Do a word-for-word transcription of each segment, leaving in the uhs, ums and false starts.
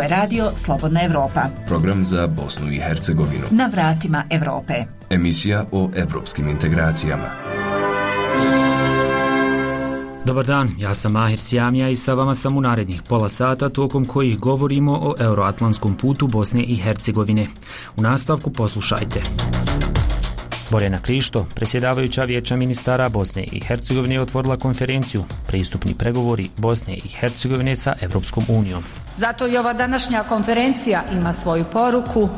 Ovo je radio Slobodna Evropa. Program za Bosnu i Hercegovinu. Na vratima Evrope. Emisija o evropskim integracijama. Dobar dan, ja sam Mahir Sjamija i sa vama sam u narednih pola sata tokom kojih govorimo o euroatlantskom putu Bosne i Hercegovine. U nastavku poslušajte. Borjana Krišto, predsjedavajuća Vijeća ministara Bosne i Hercegovine, je otvorila konferenciju Pristupni pregovori Bosne i Hercegovine sa Evropskom unijom. Zato i ova današnja konferencija ima svoju poruku.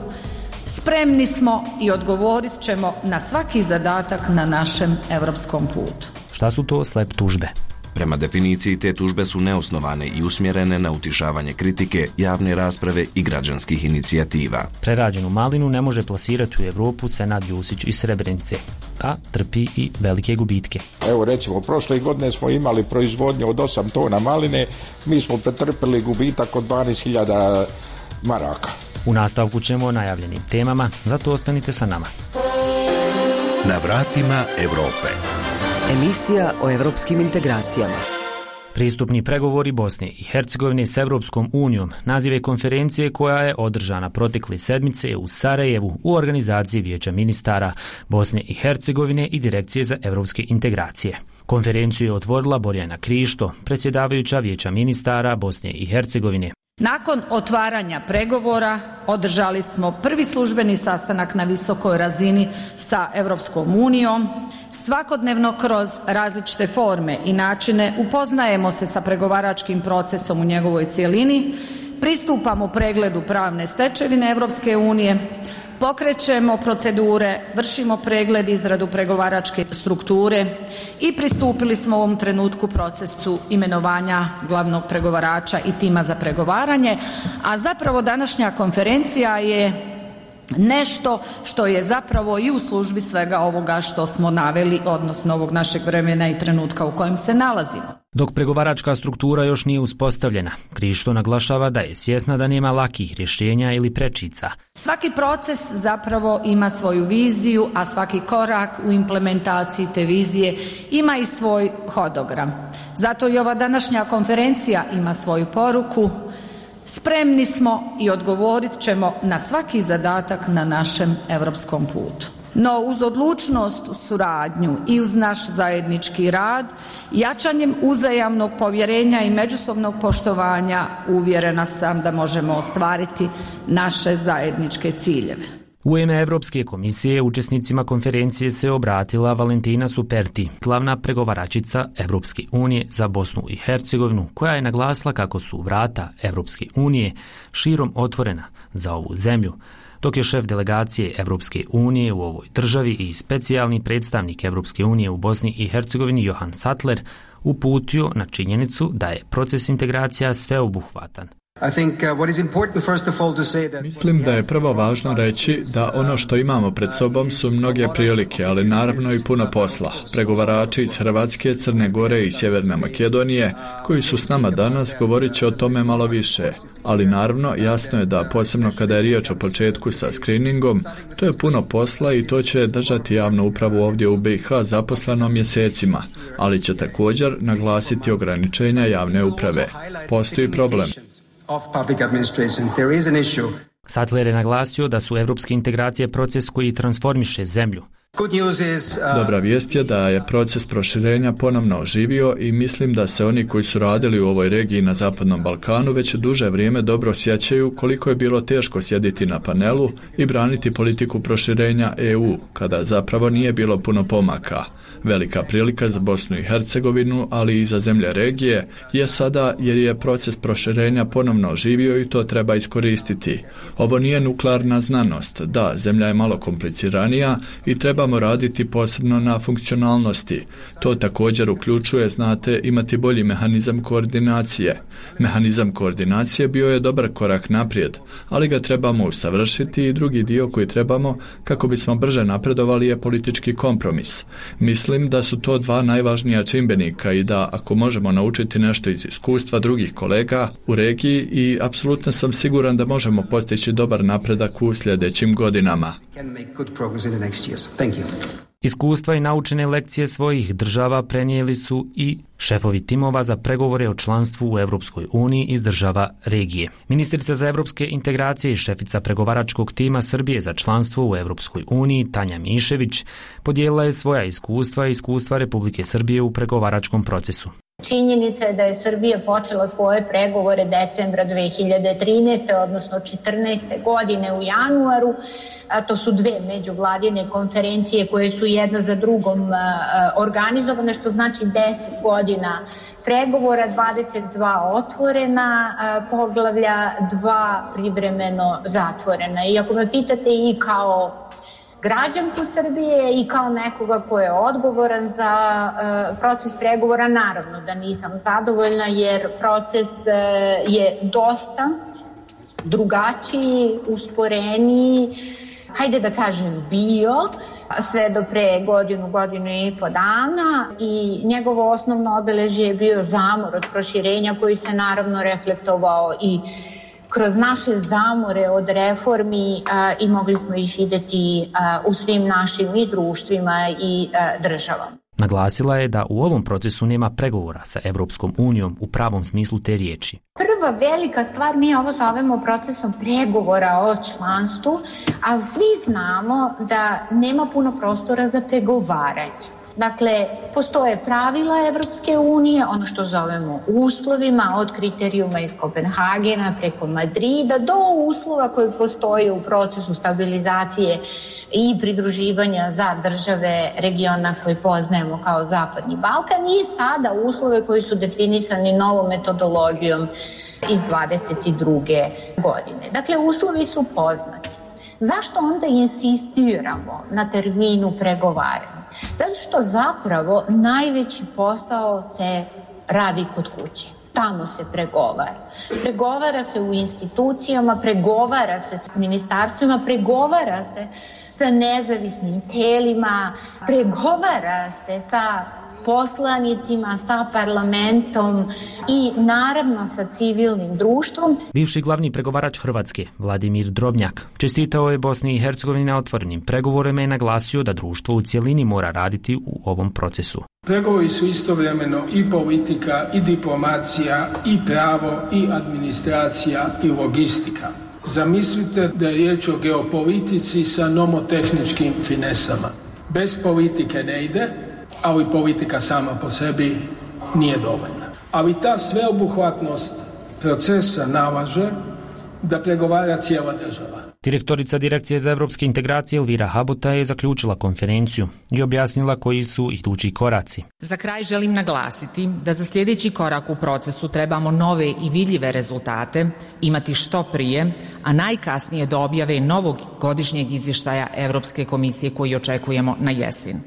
Spremni smo i odgovorit ćemo na svaki zadatak na našem evropskom putu. Šta su to slep tužbe? Prema definiciji, te tužbe su neosnovane i usmjerene na utišavanje kritike, javne rasprave i građanskih inicijativa. Prerađenu malinu ne može plasirati u Evropu Senad Jusić iz Srebrenice, a trpi i velike gubitke. Evo recimo, prošle godine smo imali proizvodnju od osam tona maline, mi smo pretrpili gubitak od dvanaest hiljada maraka. U nastavku ćemo o najavljenim temama, zato ostanite sa nama. Na vratima Evrope. Emisija o evropskim integracijama. Pristupni pregovori Bosne i Hercegovine s Evropskom unijom naziv je konferencije koja je održana protekle sedmice u Sarajevu u organizaciji Vijeća ministara Bosne i Hercegovine i Direkcije za evropske integracije. Konferenciju je otvorila Borjana Krišto, predsjedavajuća Vijeća ministara Bosne i Hercegovine. Nakon otvaranja pregovora održali smo prvi službeni sastanak na visokoj razini sa Evropskom unijom. Svakodnevno kroz različite forme i načine upoznajemo se sa pregovaračkim procesom u njegovoj cjelini, pristupamo pregledu pravne stečevine Evropske unije, pokrećemo procedure, vršimo pregled, izradu pregovaračke strukture i pristupili smo u ovom trenutku procesu imenovanja glavnog pregovarača i tima za pregovaranje, a zapravo današnja konferencija je nešto što je zapravo i u službi svega ovoga što smo naveli, odnosno ovog našeg vremena i trenutka u kojem se nalazimo. Dok pregovaračka struktura još nije uspostavljena, Krišto naglašava da je svjesna da nema lakih rješenja ili prečica. Svaki proces zapravo ima svoju viziju, a svaki korak u implementaciji te vizije ima i svoj hodogram. Zato i ova današnja konferencija ima svoju poruku. Spremni smo i odgovorit ćemo na svaki zadatak na našem evropskom putu. No uz odlučnost, suradnju i uz naš zajednički rad, jačanjem uzajamnog povjerenja i međusobnog poštovanja, uvjerena sam da možemo ostvariti naše zajedničke ciljeve. U ime Evropske komisije učesnicima konferencije se obratila Valentina Superti, glavna pregovaračica Evropske unije za Bosnu i Hercegovinu, koja je naglasila kako su vrata Evropske unije širom otvorena za ovu zemlju, dok je šef delegacije Evropske unije u ovoj državi i specijalni predstavnik Evropske unije u Bosni i Hercegovini Johan Sattler uputio na činjenicu da je proces integracija sveobuhvatan. Mislim da je prvo važno reći da ono što imamo pred sobom su mnoge prilike, ali naravno i puno posla. Pregovarači iz Hrvatske, Crne Gore i Sjeverne Makedonije koji su s nama danas govorit će o tome malo više, ali naravno jasno je da posebno kada je riječ o početku sa screeningom, to je puno posla i to će držati javnu upravu ovdje u B i H zaposleno mjesecima, ali će također naglasiti ograničenja javne uprave. Postoji problem. Sattler je naglasio da su evropske integracije proces koji transformiše zemlju. Dobra vijest je da je proces proširenja ponovno oživio i mislim da se oni koji su radili u ovoj regiji na Zapadnom Balkanu već duže vrijeme dobro sjećaju koliko je bilo teško sjediti na panelu i braniti politiku proširenja E U, kada zapravo nije bilo puno pomaka. Velika prilika za Bosnu i Hercegovinu, ali i za zemlje regije, je sada jer je proces proširenja ponovno oživio i to treba iskoristiti. Ovo nije nuklearna znanost, da, zemlja je malo kompliciranija i trebamo raditi posebno na funkcionalnosti. To također uključuje, znate, imati bolji mehanizam koordinacije. Mehanizam koordinacije bio je dobar korak naprijed, ali ga trebamo usavršiti i drugi dio koji trebamo kako bismo brže napredovali je politički kompromis. Mislim da su to dva najvažnija čimbenika i da ako možemo naučiti nešto iz iskustva drugih kolega u regiji i apsolutno sam siguran da možemo postići dobar napredak u sljedećim godinama. Iskustva i naučene lekcije svojih država prenijeli su i šefovi timova za pregovore o članstvu u Europskoj uniji iz država regije. Ministrica za evropske integracije i šefica pregovaračkog tima Srbije za članstvo u Europskoj uniji Tanja Mišević podijelila je svoja iskustva i iskustva Republike Srbije u pregovaračkom procesu. Činjenica je da je Srbija počela svoje pregovore decembra dve hiljade trinaeste. odnosno četrnaeste. godine u januaru. A to su dve međuvladine konferencije koje su jedna za drugom organizovane, što znači deset godina pregovora, dvadeset dva otvorena poglavlja, dva privremeno zatvorena. I ako me pitate i kao građanku Srbije i kao nekoga ko je odgovoran za proces pregovora, naravno da nisam zadovoljna jer proces je dosta drugačiji, usporeniji, hajde da kažem bio, sve do pre godinu, godinu i po dana i njegovo osnovno obeležje je bio zamor od proširenja koji se naravno reflektovao i kroz naše zamore od reformi a, i mogli smo ih vidjeti a, u svim našim i društvima i a, državama. Naglasila je da u ovom procesu nema pregovora sa Evropskom unijom u pravom smislu te riječi. Prva velika stvar, mi ovo zovemo procesom pregovora o članstvu, a svi znamo da nema puno prostora za pregovaranje. Dakle, postoje pravila Evropske unije, ono što zovemo uslovima, od kriterijuma iz Kopenhagena preko Madrida do uslova koji postoje u procesu stabilizacije i pridruživanja za države regiona koje poznajemo kao Zapadni Balkan i sada uslove koji su definisani novom metodologijom iz dvadeset druge. godine. Dakle, uslovi su poznati. Zašto onda insistiramo na terminu pregovaranja? Zato što zapravo najveći posao se radi kod kuće. Tamo se pregovara. Pregovara se u institucijama, pregovara se s ministarstvima, pregovara se sa nezavisnim telima, pregovara se sa poslanicima, sa parlamentom i naravno sa civilnim društvom. Bivši glavni pregovarač Hrvatske, Vladimir Drobnjak, čestitao je Bosni i Hercegovini na otvorenim pregovorima i naglasio da društvo u cjelini mora raditi u ovom procesu. Pregovori su istovremeno i politika, i diplomacija, i pravo, i administracija, i logistika. Zamislite da je riječ o geopolitici sa nomotehničkim finesama. Bez politike ne ide, ali politika sama po sebi nije dovoljna. Ali ta sveobuhvatnost procesa nalaže da pregovara cijela država. Direktorica Direkcije za evropske integracije Elvira Habota je zaključila konferenciju i objasnila koji su idući koraci. Za kraj želim naglasiti da za sljedeći korak u procesu trebamo nove i vidljive rezultate imati što prije, a najkasnije do objave novog godišnjeg izvještaja Evropske komisije koji očekujemo na jesen.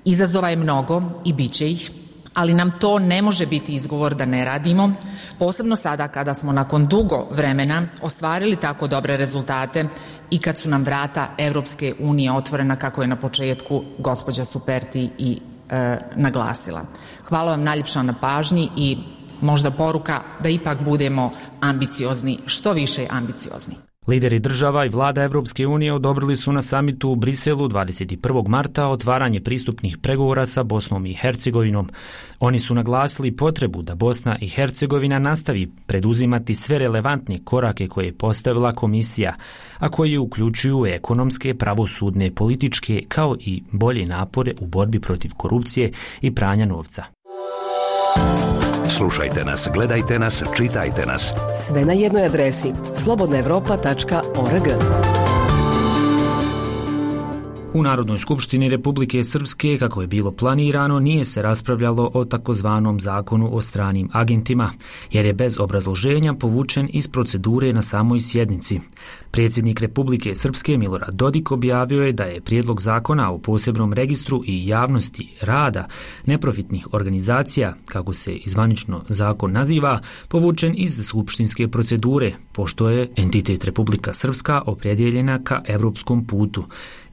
Izazova je mnogo i bit će ih, ali nam to ne može biti izgovor da ne radimo, posebno sada kada smo nakon dugo vremena ostvarili tako dobre rezultate i kad su nam vrata Evropske unije otvorena kako je na početku gospođa Superti i e, naglasila. Hvala vam najljepša na pažnji i možda poruka da ipak budemo ambiciozni, što više ambiciozni. Lideri država i vlada Evropske unije odobrili su na samitu u Briselu dvadeset prvog marta otvaranje pristupnih pregovora sa Bosnom i Hercegovinom. Oni su naglasili potrebu da Bosna i Hercegovina nastavi preduzimati sve relevantne korake koje je postavila komisija, a koji uključuju ekonomske, pravosudne, političke kao i bolje napore u borbi protiv korupcije i pranja novca. Slušajte nas, gledajte nas, čitajte nas. Sve na jednoj adresi slobodna evropa tačka org. U Narodnoj skupštini Republike Srpske, kako je bilo planirano, nije se raspravljalo o takozvanom zakonu o stranim agentima, jer je bez obrazloženja povučen iz procedure na samoj sjednici. Predsjednik Republike Srpske Milorad Dodik objavio je da je prijedlog zakona o posebnom registru i javnosti rada neprofitnih organizacija, kako se zvanično zakon naziva, povučen iz skupštinske procedure, pošto je entitet Republika Srpska opredjeljena ka evropskom putu,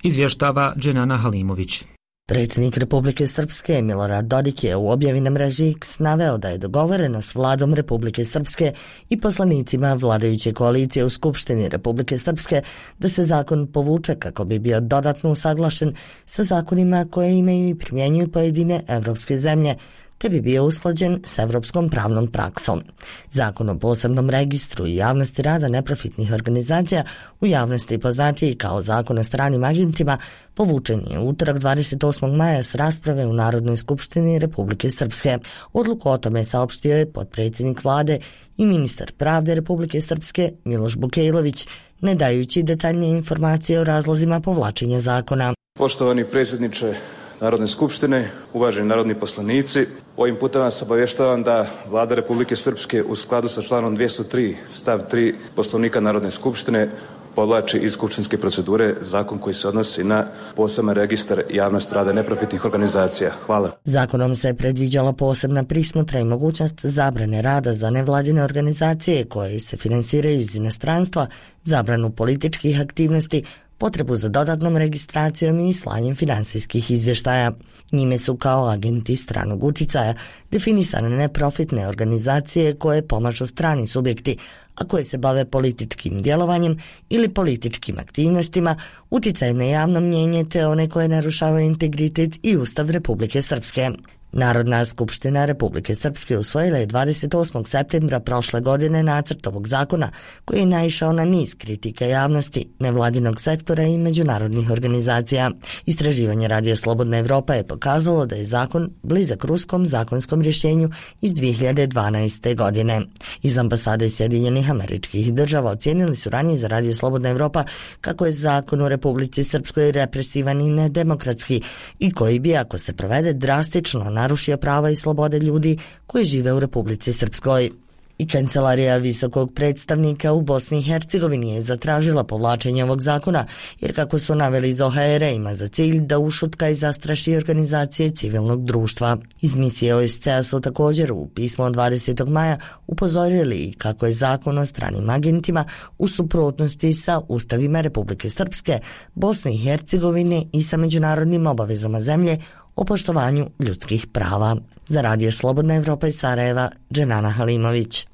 izvještava Dženana Halimović. Predsjednik Republike Srpske Milorad Dodik je u objavi na mreži X naveo da je dogovoreno s vladom Republike Srpske i poslanicima vladajuće koalicije u Skupštini Republike Srpske da se zakon povuče kako bi bio dodatno usaglašen sa zakonima koje imaju i primjenjuju pojedine evropske zemlje, te bi bio usklađen s evropskom pravnom praksom. Zakon o posebnom registru i javnosti rada neprofitnih organizacija, u javnosti poznatiji kao Zakon o stranim agentima, povučen je utorak dvadeset osmog maja s rasprave u Narodnoj skupštini Republike Srpske. Odluku o tome saopštio je potpredsjednik vlade i ministar pravde Republike Srpske Miloš Bukejlović, ne dajući detaljnije informacije o razlozima povlačenja zakona. Poštovani predsjedniče Narodne skupštine, uvaženi narodni poslanici, ovim putem vas obavještavam da Vlada Republike Srpske u skladu sa članom dvjesto tri stav tri Poslovnika Narodne skupštine povlači iz skupštinske procedure zakon koji se odnosi na poseban registar javnosti rada neprofitnih organizacija. Hvala. Zakonom se predviđala posebna prismotra i mogućnost zabrane rada za nevladine organizacije koje se finansiraju iz inostranstva, zabranu političkih aktivnosti, potrebu za dodatnom registracijom i slanjem finansijskih izvještaja. Njime su kao agenti stranog uticaja definisane neprofitne organizacije koje pomažu strani subjekti, a koje se bave političkim djelovanjem ili političkim aktivnostima, uticajem na javno mnjenje te one koje narušavaju integritet i Ustav Republike Srpske. Narodna skupština Republike Srpske usvojila je dvadeset osmog septembra prošle godine nacrt ovog zakona koji je naišao na niz kritika javnosti, nevladinog sektora i međunarodnih organizacija. Istraživanje Radija Slobodna Evropa je pokazalo da je zakon blizak ruskom zakonskom rješenju iz dvije hiljade dvanaeste. godine. Iz ambasade Sjedinjenih Američkih Država ocijenili su ranije za Radio Slobodna Evropa kako je zakon u Republici Srpskoj represivan i nedemokratski i koji bi, ako se provede, drastično narušio prava i slobode ljudi koji žive u Republici Srpskoj. I Kancelarija visokog predstavnika u Bosni i Hercegovini je zatražila povlačenje ovog zakona, jer kako su naveli iz O H R ima za cilj da ušutka i zastraši organizacije civilnog društva. Iz misije O S C E-a su također u pismu od dvadesetog maja upozorili kako je zakon o stranim agentima u suprotnosti sa ustavima Republike Srpske, Bosne i Hercegovine i sa međunarodnim obavezama zemlje o poštovanju ljudskih prava. Za Radio Slobodna Evropa iz Sarajeva, Dženana Halimović.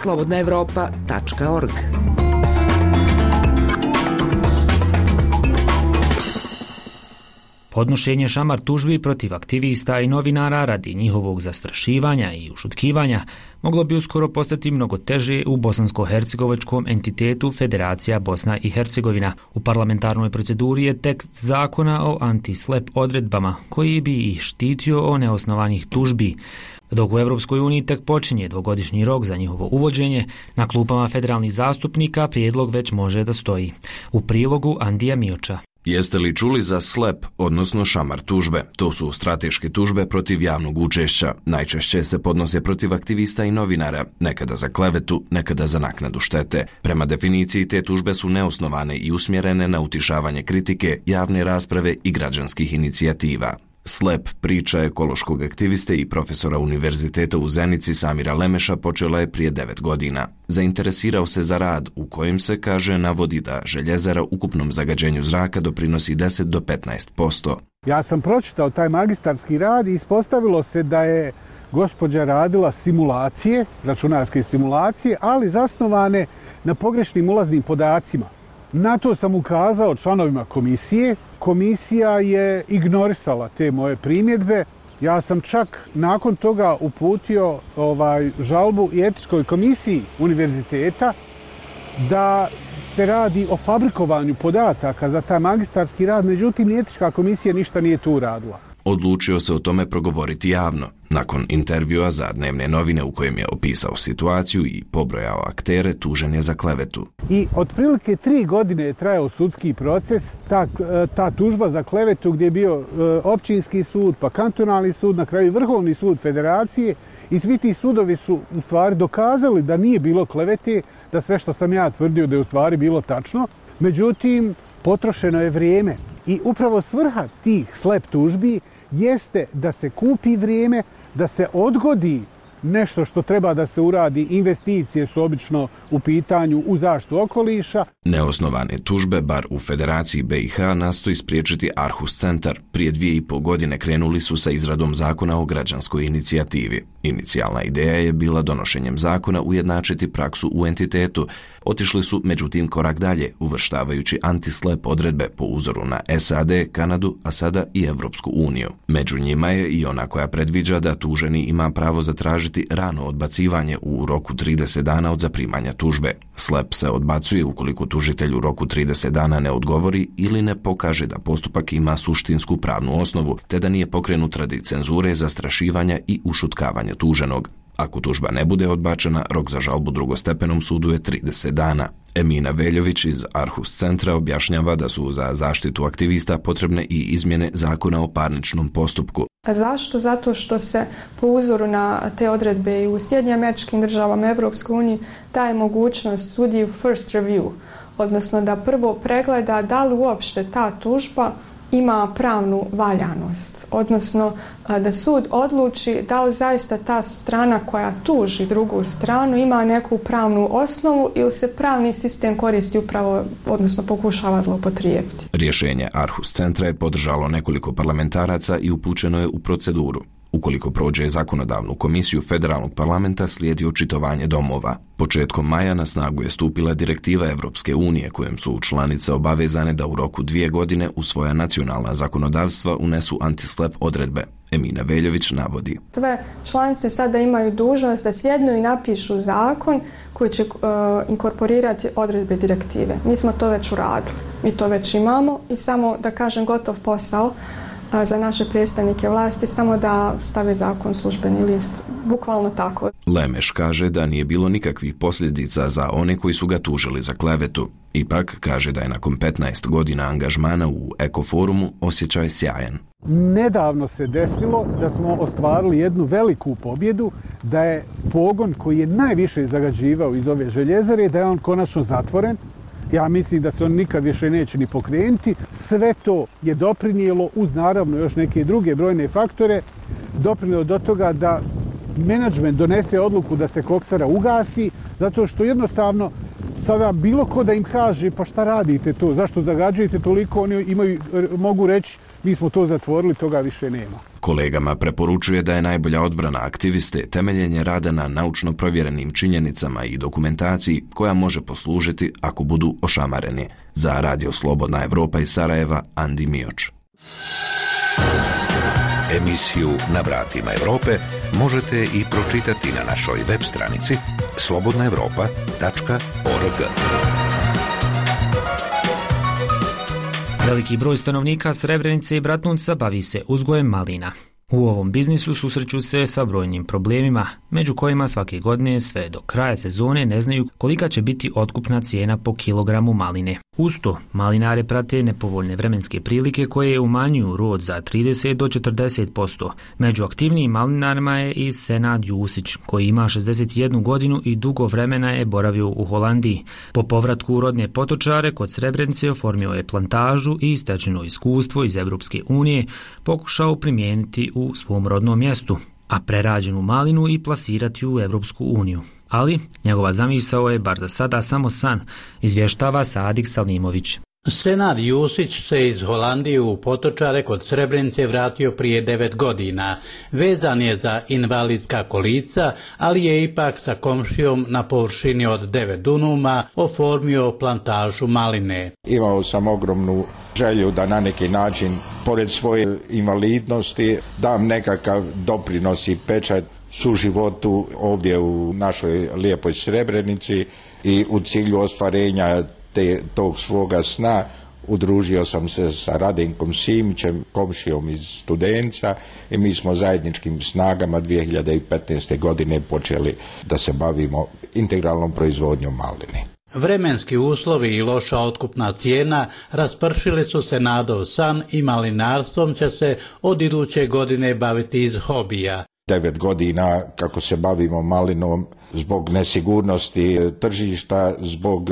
slobodna evropa tačka org. Podnošenje šamar tužbi protiv aktivista i novinara radi njihovog zastrašivanja i ušutkivanja moglo bi uskoro postati mnogo teže u bosansko-hercegovačkom entitetu Federacija Bosna i Hercegovina. U parlamentarnoj proceduri je tekst zakona o anti-slep odredbama koji bi ih štitio o neosnovanih tužbi. Dok u Europskoj uniji tek počinje dvogodišnji rok za njihovo uvođenje, na klupama federalnih zastupnika prijedlog već može da stoji. U prilogu Andija Mioča. Jeste li čuli za slep, odnosno šamar tužbe? To su strateške tužbe protiv javnog učešća. Najčešće se podnose protiv aktivista i novinara, nekada za klevetu, nekada za naknadu štete. Prema definiciji te tužbe su neosnovane i usmjerene na utišavanje kritike, javne rasprave i građanskih inicijativa. Slep, priča ekološkog aktiviste i profesora univerziteta u Zenici Samira Lemeša počela je prije devet godina. Zainteresirao se za rad u kojem se, kaže, navodi da željezara ukupnom zagađenju zraka doprinosi deset do petnaest posto. Ja sam pročitao taj magistarski rad i ispostavilo se da je gospođa radila simulacije, računarske simulacije, ali zasnovane na pogrešnim ulaznim podacima. Na to sam ukazao članovima komisije. Komisija je ignorisala te moje primjedbe. Ja sam čak nakon toga uputio ovaj, žalbu i etičkoj komisiji univerziteta da se radi o fabrikovanju podataka za taj magistarski rad, međutim ni etička komisija ništa nije tu radila. Odlučio se o tome progovoriti javno, nakon intervjua za dnevne novine u kojem je opisao situaciju i pobrojao aktere, tužen je za klevetu. I otprilike tri godine je trajao sudski proces, ta, ta tužba za klevetu gdje je bio općinski sud, pa kantonalni sud, na kraju Vrhovni sud Federacije, i svi ti sudovi su u stvari dokazali da nije bilo klevete, da sve što sam ja tvrdio da je u stvari bilo tačno. Međutim, potrošeno je vrijeme i upravo svrha tih slep tužbi jeste da se kupi vrijeme, da se odgodi nešto što treba da se uradi, investicije su obično u pitanju u zaštitu okoliša. Neosnovane tužbe, bar u Federaciji B i H, nastoji spriječiti Aarhus centar. Prije dvije i pol godine krenuli su sa izradom zakona o građanskoj inicijativi. Inicijalna ideja je bila donošenjem zakona ujednačiti praksu u entitetu. Otišli su međutim korak dalje, uvrštavajući anti-slap odredbe po uzoru na S A D, Kanadu, a sada i Evropsku uniju. Među njima je i ona koja predviđa da tuženi ima pravo zatražiti rano odbacivanje u roku trideset dana od zaprimanja tužbe. Slap se odbacuje ukoliko tužitelj u roku trideset dana ne odgovori ili ne pokaže da postupak ima suštinsku pravnu osnovu, te da nije pokrenut radi cenzure, zastrašivanja i ušutkavanja tuženog. Ako tužba ne bude odbačena, rok za žalbu drugostepenom sudu je trideset dana. Emina Veljović iz Aarhus centra objašnjava da su za zaštitu aktivista potrebne i izmjene zakona o parničnom postupku. A zašto? Zato što se po uzoru na te odredbe i u Sjedinjenim Američkim Državama, Evropskoj uniji daje mogućnost sudiji first review, odnosno da prvo pregleda da li uopšte ta tužba ima pravnu valjanost, odnosno da sud odluči da li zaista ta strana koja tuži drugu stranu ima neku pravnu osnovu ili se pravni sistem koristi upravo, odnosno pokušava zloupotrijebiti. Rješenje Aarhus centra je podržalo nekoliko parlamentaraca i upućeno je u proceduru. Ukoliko prođe zakonodavnu komisiju federalnog parlamenta, slijedi očitovanje domova. Početkom maja na snagu je stupila direktiva Evropske unije kojom su članice obavezane da u roku dvije godine u svoja nacionalna zakonodavstva unesu anti-slap odredbe. Emina Veljović navodi. Sve članice sada imaju dužnost da sjednu i napišu zakon koji će uh, inkorporirati odredbe direktive. Mi smo to već uradili. Mi to već imamo i samo da kažem gotov posao za naše predstavnike vlasti, samo da stave zakon službeni list. Bukvalno tako. Lemeš kaže da nije bilo nikakvih posljedica za one koji su ga tužili za klevetu. Ipak kaže da je nakon petnaest godina angažmana u Ekoforumu osjećaj sjajan. Nedavno se desilo da smo ostvarili jednu veliku pobjedu, da je pogon koji je najviše zagađivao iz ove željezare, da je on konačno zatvoren. Ja mislim da se on nikad više neće ni pokrenuti. Sve to je doprinijelo, uz naravno još neke druge brojne faktore, doprinijelo do toga da menadžment donese odluku da se koksara ugasi, zato što jednostavno sada bilo ko da im kaže pa šta radite to, zašto zagađujete toliko, oni imaju, mogu reći mi smo to zatvorili, toga više nema. Kolegama preporučuje da je najbolja odbrana aktiviste temeljenje rada na naučno provjerenim činjenicama i dokumentaciji koja može poslužiti ako budu ošamareni. Za Radio Slobodna Evropa iz Sarajeva, Andi Mioč. Emisiju Na vratima Evrope možete i pročitati na našoj web stranici slobodna evropa tačka org. Veliki broj stanovnika Srebrenice i Bratunca bavi se uzgojem malina. U ovom biznisu susreću se sa brojnim problemima, među kojima svake godine sve do kraja sezone ne znaju kolika će biti otkupna cijena po kilogramu maline. Uz to, malinare prate nepovoljne vremenske prilike koje umanjuju rod za trideset do četrdeset posto. Među aktivnijim malinarima je i Senad Jusić, koji ima šezdeset jednu godinu i dugo vremena je boravio u Holandiji. Po povratku u rodne Potočare kod Srebrenice oformio je plantažu i stečeno iskustvo iz Evropske unije pokušao primijeniti u svom rodnom mjestu, a prerađenu malinu i plasirati u Evropsku uniju. Ali njegova zamisao je bar za sada samo san, izvještava Sadik Salimović. Senad Jusić se iz Holandije u Potočare kod Srebrenice vratio prije devet godina. Vezan je za invalidska kolica, ali je ipak sa komšijom na površini od devet dunuma oformio plantažu maline. Imao sam ogromnu želju da na neki način, pored svoje invalidnosti, dam nekakav doprinos i pečat suživotu ovdje u našoj lijepoj Srebrenici i u cilju ostvarenja te, tog svoga sna udružio sam se sa Radenkom Simićem, komšijom iz Studenca, i mi smo zajedničkim snagama dvije hiljade petnaeste. godine počeli da se bavimo integralnom proizvodnjom maline. Vremenski uslovi i loša otkupna cijena raspršili su se nadov san i malinarstvom će se od iduće godine baviti iz hobija. Devet godina kako se bavimo malinom, zbog nesigurnosti tržišta, zbog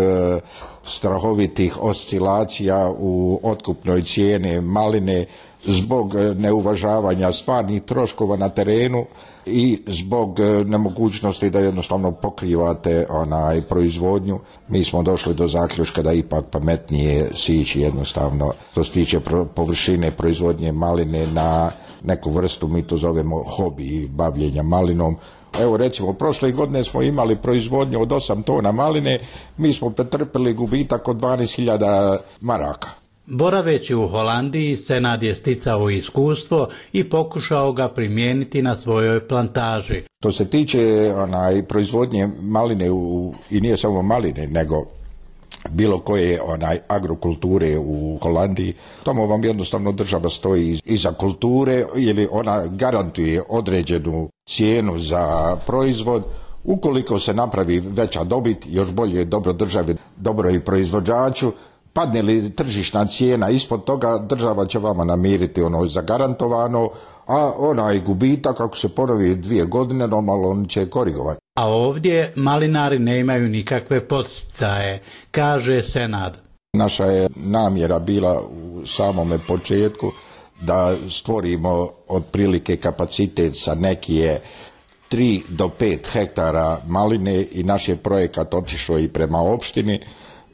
strahovitih oscilacija u otkupnoj cijeni maline, zbog neuvažavanja stvarnih troškova na terenu i zbog nemogućnosti da jednostavno pokrivate onaj proizvodnju, mi smo došli do zaključka da ipak pametnije sići jednostavno što se tiče površine proizvodnje maline na neku vrstu, mi to zovemo hobi bavljenja malinom. Evo recimo, prošle godine smo imali proizvodnju od osam tona maline, mi smo pretrpili gubitak od dvanaest hiljada maraka. Boraveći u Holandiji, Senad je sticao iskustvo i pokušao ga primijeniti na svojoj plantaži. Što se tiče onaj, proizvodnje maline, u, i nije samo maline, nego bilo koje onaj agrokulture u Holandiji, tamo vam jednostavno država stoji iza kulture ili ona garantuje određenu cijenu za proizvod. Ukoliko se napravi veća dobit, još bolje dobro državi, dobro i proizvođaču. Padne li tržišna cijena ispod toga, država će vama namiriti ono zagarantovano, a onaj gubitak, ako se ponovi dvije godine, normalno on će korigovati. A ovdje malinari ne imaju nikakve podsticaje, kaže Senad. Naša je namjera bila u samome početku da stvorimo otprilike kapacitet sa nekije tri do pet hektara maline i naš je projekat otišao i prema opštini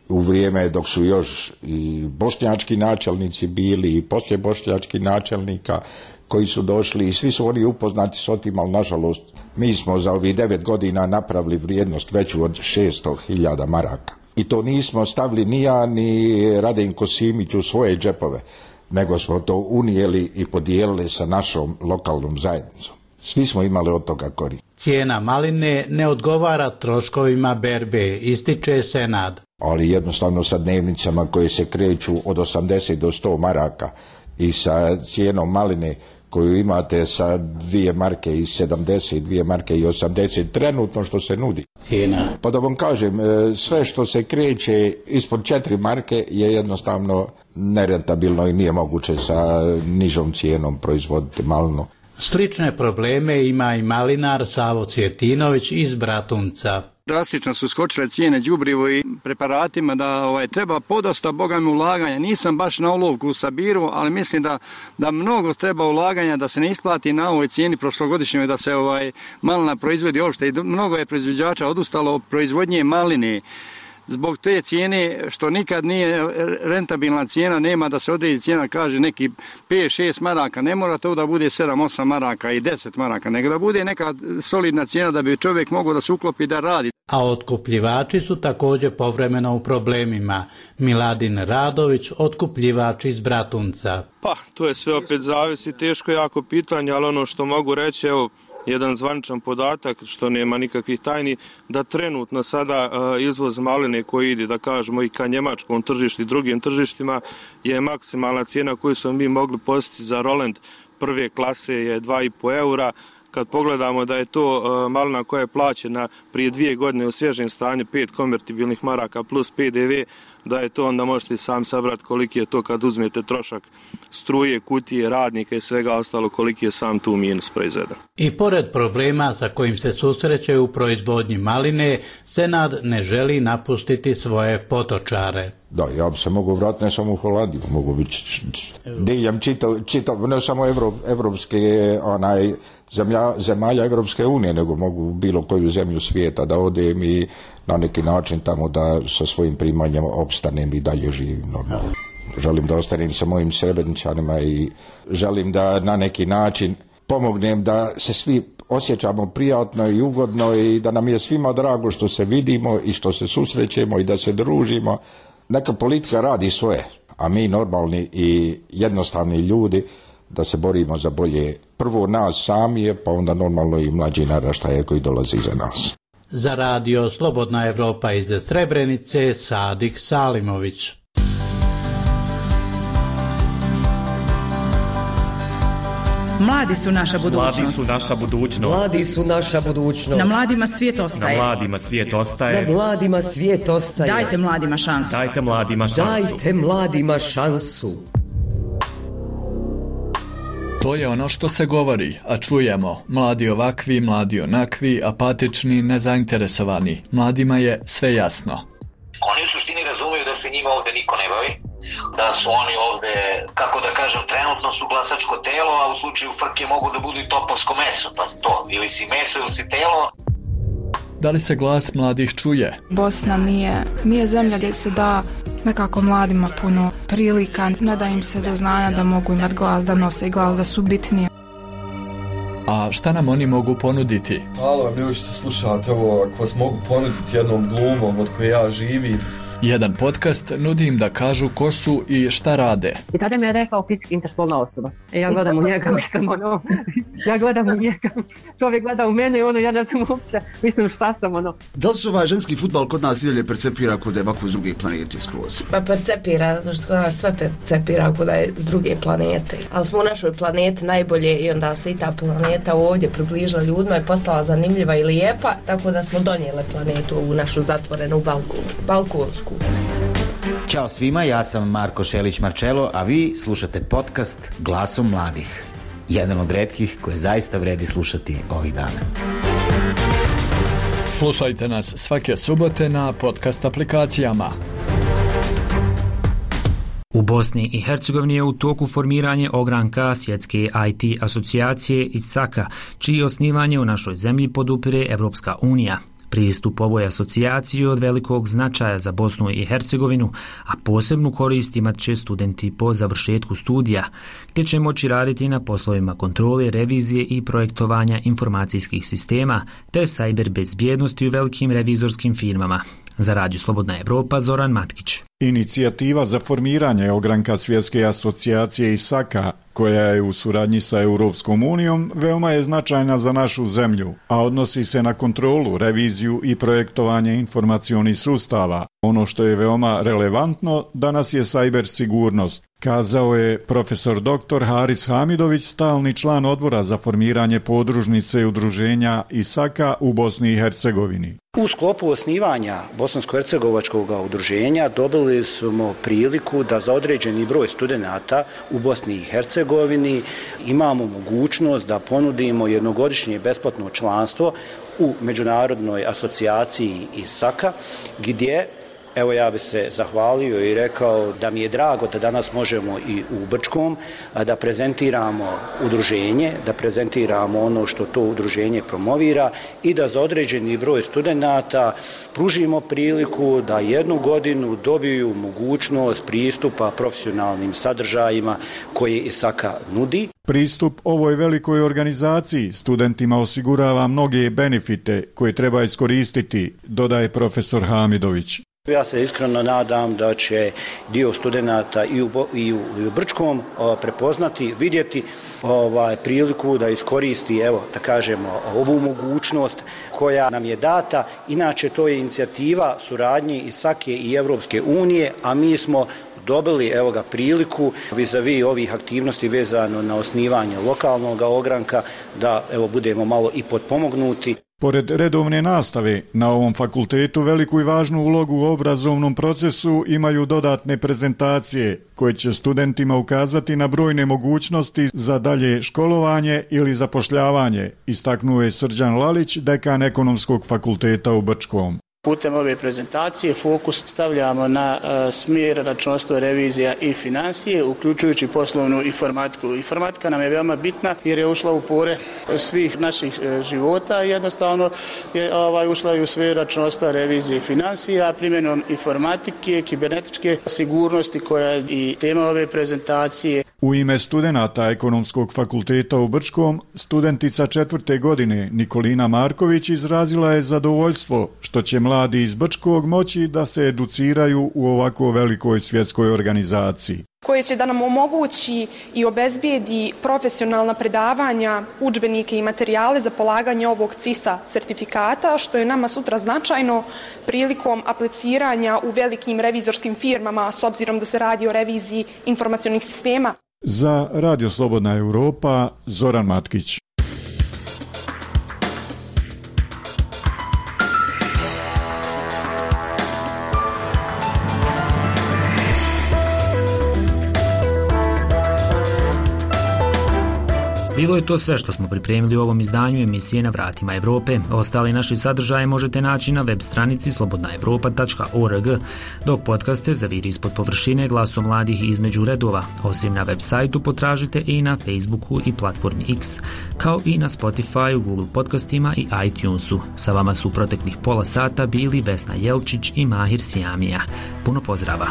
u vrijeme dok su još i bošnjački načelnici bili i poslije bošnjačkih načelnika koji su došli i svi su oni upoznati s otim, ali nažalost mi smo za ovih devet godina napravili vrijednost veću od šesto hiljada maraka. I to nismo stavili ni ja ni Radenko Simić u svoje džepove, nego smo to unijeli i podijelili sa našom lokalnom zajednicom. Svi smo imali od toga korist. Cijena maline ne odgovara troškovima berbe, ističe Senad. Ali jednostavno sa dnevnicama koje se kreću od osamdeset do sto maraka i sa cijenom maline koju imate sa dvije marke i sedamdeset, dvije marke i osamdeset, trenutno što se nudi. Cijena. Pa da vam kažem, sve što se kreće ispod četiri marke je jednostavno nerentabilno i nije moguće sa nižom cijenom proizvoditi malinu. Slične probleme ima i malinar Savo Cvjetinović iz Bratunca. Drastično su skočile cijene đubrivo i preparatima da ovaj, treba podosta bogami ulaganja. Nisam baš na olovku u sabiru, ali mislim da, da mnogo treba ulaganja da se ne isplati na ovoj cijeni prošlogodišnjoj da se ovaj, malina proizvodi uopšte. I mnogo je proizvođača odustalo od proizvodnje maline. Zbog te cijene što nikad nije rentabilna cijena, nema da se odredi cijena, kaže neki pet šest maraka, ne mora to da bude sedam osam maraka i deset maraka, nego da bude neka solidna cijena da bi čovjek mogao da se uklopi da radi. A otkupljivači su također povremeno u problemima. Miladin Radović, otkupljivač iz Bratunca. Pa, to je sve opet zavisi, teško jako pitanje, ali ono što mogu reći, evo, jedan zvaničan podatak, što nema nikakvih tajni, da trenutno sada uh, izvoz maline koji ide, da kažemo, i ka njemačkom tržištu i drugim tržištima je maksimalna cijena koju smo mi mogli postići za Roland prve klase je dva i po eura. Kad pogledamo da je to uh, malina koja je plaćena prije dvije godine u svježem stanju pet konvertibilnih maraka plus P D V, da je to, onda možete sam sabrati koliki je to kad uzmete trošak struje, kutije, radnika i svega ostalo, koliki je sam tu minus proizveden. I pored problema sa kojim se susreće u proizvodnji maline, Senad ne želi napustiti svoje potočare. Da, ja bi se mogu vratiti ne samo u Holandiju, mogu biti diljem čitav, čitav, ne samo Evrop, evropske onaj, zemlja, zemalja Evropske unije, nego mogu bilo koju zemlju svijeta da odem i na neki način tamo da sa svojim primanjem opstanem i dalje živim normalno. Želim da ostanem sa mojim Srebreničanima i želim da na neki način pomognem da se svi osjećamo prijatno i ugodno i da nam je svima drago što se vidimo i što se susrećemo i da se družimo. Neka politika radi svoje, a mi normalni i jednostavni ljudi da se borimo za bolje prvo nas sami, pa onda normalno i mlađi naraštaje koji dolazi iza nas. Za radio Slobodna Evropa iz Srebrenice, Sadik Salimović. Mladi su naša budućnost. Mladi su naša budućnost. Mladi su naša budućnost. Na mladima svijet ostaje. Na mladima svijet ostaje. Na mladima svijet ostaje. Dajte mladima šansu. Dajte mladima šansu. Dajte mladima šansu. To je ono što se govori, a čujemo. Mladi ovakvi, mladi onakvi, apatični, nezainteresovani. Mladima je sve jasno. Oni u suštini razumiju da se njima ovdje niko ne bavi da su oni ovde, kako da kažem, trenutno su glasačko telo, a u slučaju frke mogu da budu i topovsko meso, pa to, ili si meso ili si telo. Da li se glas mladih čuje? Bosna nije, nije zemlja gdje se da nekako mladima puno prilika, ne da im se do znanja da mogu imati glas, da nose glas, da su bitnije. A šta nam oni mogu ponuditi? Halo, ljudi što slušate ovo, ako vas mogu ponuditi jednom glumom od koje ja živim. Jedan podcast nudi im da kažu ko su i šta rade. I tada mi je rekao fizički interspolna osoba. E ja gledam u njega, mislim ono, ja gledam u njega, čovjek gleda u mene i ono, ja ne znam uopće, mislim šta sam ono. Da li se ovaj ženski fudbal kod nas i dalje percepira kod je ovako iz druge planete skroz? Pa percepira, zato što kod nas sve percepira kod je iz druge planete. Ali smo u našoj planeti najbolje i onda se i ta planeta ovdje približila ljudima i postala zanimljiva i lijepa, tako da smo donijeli planetu u našu zatvorenu balku, balkonsku. Ćao svima, ja sam Marko Šelić-Marčelo, a vi slušate podcast Glasom mladih. Jedan od retkih koje zaista vredi slušati ovih dana. Slušajte nas svake subote na podcast aplikacijama. U Bosni i Hercegovini je u toku formiranje ogranka svjetske I T asocijacije I S A K-a, čiji osnivanje u našoj zemlji podupire Evropska unija. Pristup ovoj asocijaciji od velikog značaja za Bosnu i Hercegovinu, a posebnu korist imat će studenti po završetku studija, gdje će moći raditi na poslovima kontrole, revizije i projektovanja informacijskih sistema, te cyber bezbjednosti u velikim revizorskim firmama. Za Radio Slobodna Evropa, Zoran Matkić. Inicijativa za formiranje ogranka svjetske asocijacije I S A K-a, koja je u suradnji sa Europskom unijom, veoma je značajna za našu zemlju, a odnosi se na kontrolu, reviziju i projektovanje informacionih sustava. Ono što je veoma relevantno danas je cyber sigurnost, kazao je profesor doktor Haris Hamidović, stalni član odbora za formiranje podružnice udruženja I S A K-a u Bosni i Hercegovini. U sklopu osnivanja Bosansko-hercegovačkog udruženja dobili smo priliku da za određeni broj studenata u Bosni i Hercegovini imamo mogućnost da ponudimo jednogodišnje besplatno članstvo u Međunarodnoj asocijaciji I S A K-a, gdje evo ja bi se zahvalio i rekao da mi je drago da danas možemo i u Brčkom da prezentiramo udruženje, da prezentiramo ono što to udruženje promovira i da za određeni broj studenata pružimo priliku da jednu godinu dobiju mogućnost pristupa profesionalnim sadržajima koje I S A K-a nudi. Pristup ovoj velikoj organizaciji studentima osigurava mnoge benefite koje treba iskoristiti, dodaje profesor Hamidović. Ja se iskreno nadam da će dio studenata i u, i u, i u Brčkom o, prepoznati, vidjeti ovaj, priliku da iskoristi, evo, da kažemo, ovu mogućnost koja nam je data. Inače, to je inicijativa suradnje I S A K-e i Evropske unije, a mi smo dobili evo ga priliku vis-a-vis ovih aktivnosti vezano na osnivanje lokalnog ogranka da evo budemo malo i potpomognuti. Pored redovne nastave, na ovom fakultetu veliku i važnu ulogu u obrazovnom procesu imaju dodatne prezentacije koje će studentima ukazati na brojne mogućnosti za dalje školovanje ili zapošljavanje, istaknuo je Srđan Lalić, dekan Ekonomskog fakulteta u Brčkom. Putem ove prezentacije fokus stavljamo na uh, smjer računovodstvo, revizija i financije, uključujući poslovnu informatiku. Informatika nam je veoma bitna jer je ušla u pore svih naših uh, života i jednostavno je ovaj, ušla i u sferu računovodstva, revizije i financija, a primjenom informatike, kibernetičke sigurnosti koja je i tema ove prezentacije. U ime studenata Ekonomskog fakulteta u Brčkom, studentica četvrte godine Nikolina Marković izrazila je zadovoljstvo što će mladi iz Brčkog moći da se educiraju u ovako velikoj svjetskoj organizaciji, koje će da nam omogući i obezbijedi profesionalna predavanja, udžbenike i materijale za polaganje ovog C I S A sertifikata, što je nama sutra značajno prilikom apliciranja u velikim revizorskim firmama, s obzirom da se radi o reviziji informacionih sistema. Za Radio Slobodna Evropa, Zoran Matkić. Bilo je to sve što smo pripremili u ovom izdanju emisije Na vratima Evrope. Ostali naši sadržaje možete naći na web stranici slobodna evropa tačka org, dok podcaste zaviri ispod površine Glasom mladih između redova. Osim na web sajtu potražite i na Facebooku i platformi X, kao i na Spotify, Google podcastima i iTunesu. Sa vama su u proteklih pola sata bili Vesna Jelčić i Mahir Sijamija. Puno pozdrava!